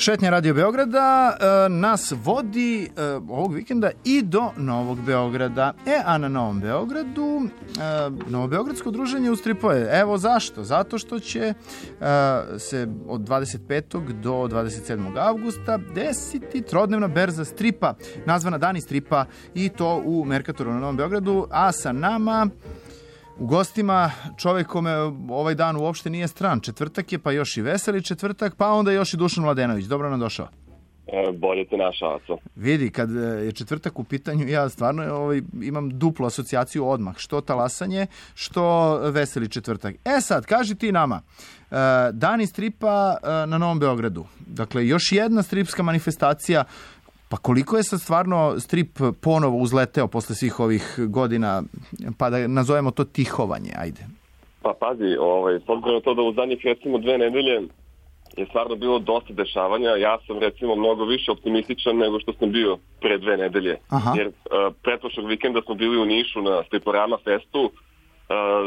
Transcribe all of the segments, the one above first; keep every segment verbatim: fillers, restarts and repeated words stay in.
Šetnja Radio Beograda e, nas vodi e, ovog vikenda i do Novog Beograda. E, a na Novom Beogradu e, Novobeogradsko druženje u stripove. Evo zašto? Zato što će e, se od dvadeset petog do dvadeset sedmog avgusta desiti trodnevna berza stripa, nazvana Dani stripa, i to u Merkatoru na Novom Beogradu, a sa nama u gostima čovjek kome ovaj dan uopšte nije stran. Četvrtak je, pa još i veseli četvrtak, pa onda još i Dušan Mladenović. Dobro nam došao. E, bolje te našao. Vidi, kad je četvrtak u pitanju, ja stvarno ovaj, imam duplu asocijaciju odmah. Što talasanje, što veseli četvrtak. E sad, kaži ti nama, Dani stripa na Novom Beogradu. Dakle, još jedna stripska manifestacija. Pa koliko je sad stvarno strip ponovo uzleteo posle svih ovih godina, pa da nazovemo to tihovanje, ajde. Pa pazi, ovaj, s obzirom na to da u zadnjih recimo dve nedelje je stvarno bilo dosta dešavanja, ja sam recimo mnogo više optimističan nego što sam bio pre dve nedelje. Aha. Jer uh, pretprošlog vikenda smo bili u Nišu na Striporama festu, uh,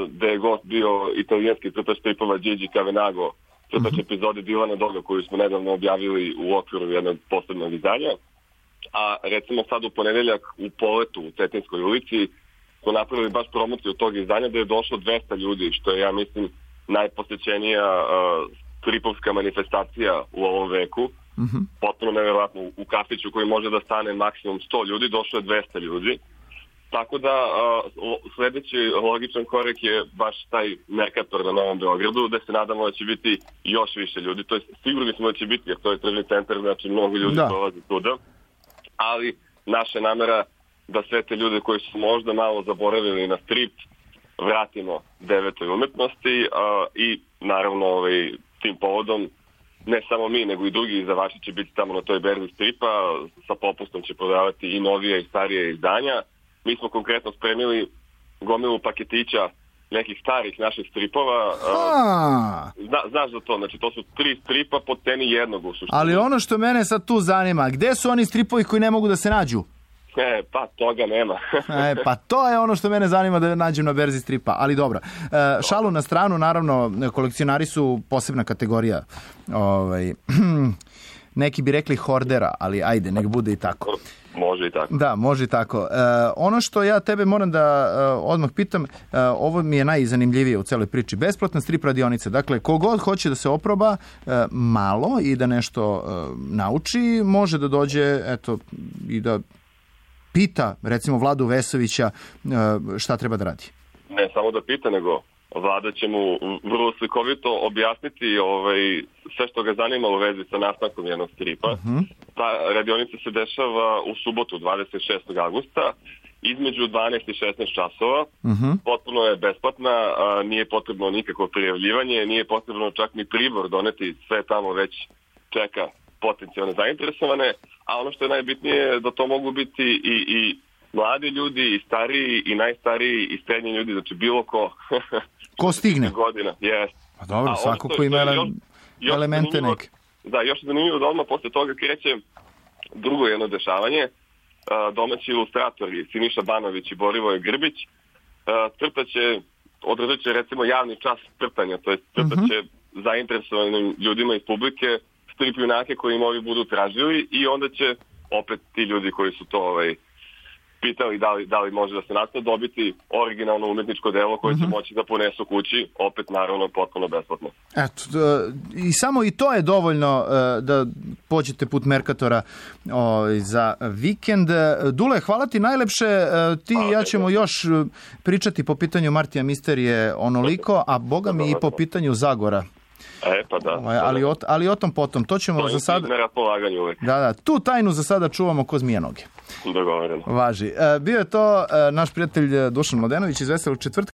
gde je gost bio italijanski crtač stripova Gigi Cavenago, crtač uh-huh. epizode Dilana Doga koju smo nedavno objavili u okviru jednog posebnog izdanja. A recimo sad u ponedeljak u Poletu u Cetinskoj ulici smo napravili baš promociju tog izdanja da je došlo dvesta ljudi, što je, ja mislim, najposećenija uh, stripovska manifestacija u ovom veku. Mm-hmm. Potpuno nevjerojatno, u kafiću koji može da stane maksimum sto ljudi, došlo je dvesta ljudi. Tako da uh, sljedeći logičan korak je baš taj Merkator na Novom Beogradu, gde se nadamo da će biti još više ljudi. To je, sigurni smo da će biti, jer to je tržni centar, znači mnogo ljudi dolazi tuda. Ali naša namera da sve te ljude koji su možda malo zaboravili na strip vratimo devetoj umetnosti uh, i naravno ovaj, tim povodom ne samo mi nego i drugi izdavači će biti tamo na toj berzi stripa, sa popustom će prodavati i novije i starije izdanja. Mi smo konkretno spremili gomilu paketića nekih starih naših stripova. Uh, zna, znaš za to, znači to su tri stripa po ceni jednog u suštini. Ali ono što mene sad tu zanima, gde su oni stripovi koji ne mogu da se nađu? E, pa toga nema. e, pa to je ono što mene zanima da nađem na berzi stripa, ali dobro. E, šalu na stranu, naravno, kolekcionari su posebna kategorija. Ovaj, neki bi rekli hordera, ali ajde, nek bude i tako. Može i tako. Da, može i tako. E, ono što ja tebe moram da e, odmah pitam, e, ovo mi je najzanimljivije u celoj priči. Besplatna strip radionica. Dakle, kogod hoće da se oproba e, malo i da nešto e, nauči, može da dođe, eto, i da pita, recimo, Vladu Vesovića e, šta treba da radi. Ne samo da pita, nego Vlada će mu vrlo slikovito objasniti ovaj, sve što ga zanima u vezi sa nastankom jednog stripa. Uh-huh. Ta radionica se dešava u subotu dvadeset šestog avgusta između dvanaest i šesnaest časova. Uh-huh. Potpuno je besplatna, a, nije potrebno nikakvo prijavljivanje, nije potrebno čak ni pribor doneti, sve tamo već čeka potencijalne zainteresovane, a ono što je najbitnije je da to mogu biti i, i mladi ljudi, i stariji, i najstariji, i srednji ljudi, znači bilo ko... Ko stigne? Godina, yes. Pa dobro, a svako ko ima još, još elemente neke. Da, još je zanimljivo da odmah posle toga kreće drugo jedno dešavanje. Domaći ilustratori Siniša Banović i Borivoje Grbić crtaće, održat će recimo javni čas crtanja, to je crtaće uh-huh. zainteresovanim ljudima iz publike strip junake koji im ovi budu tražili i onda će opet ti ljudi koji su to ovaj, pitali da li, da li može da se nastane dobiti originalno umetničko delo koje uh-huh. će moći da ponesu kući, opet naravno potpuno besplatno. Eto, i samo i to je dovoljno da pođete put Merkatora o, za vikend. Dule, hvala ti najlepše, ti i ja ćemo još pričati po pitanju Martija Misterije onoliko, a boga mi i po pitanju Zagora. E, pa da. O, ali, o, ali o tom potom, to ćemo to za sada... na raspolaganju uvek. Da, da, tu tajnu za sada čuvamo ko zmija noge. Dogovoreno. Važi. E, bio je to e, naš prijatelj Dušan Mladenović iz Veselog četvrtka.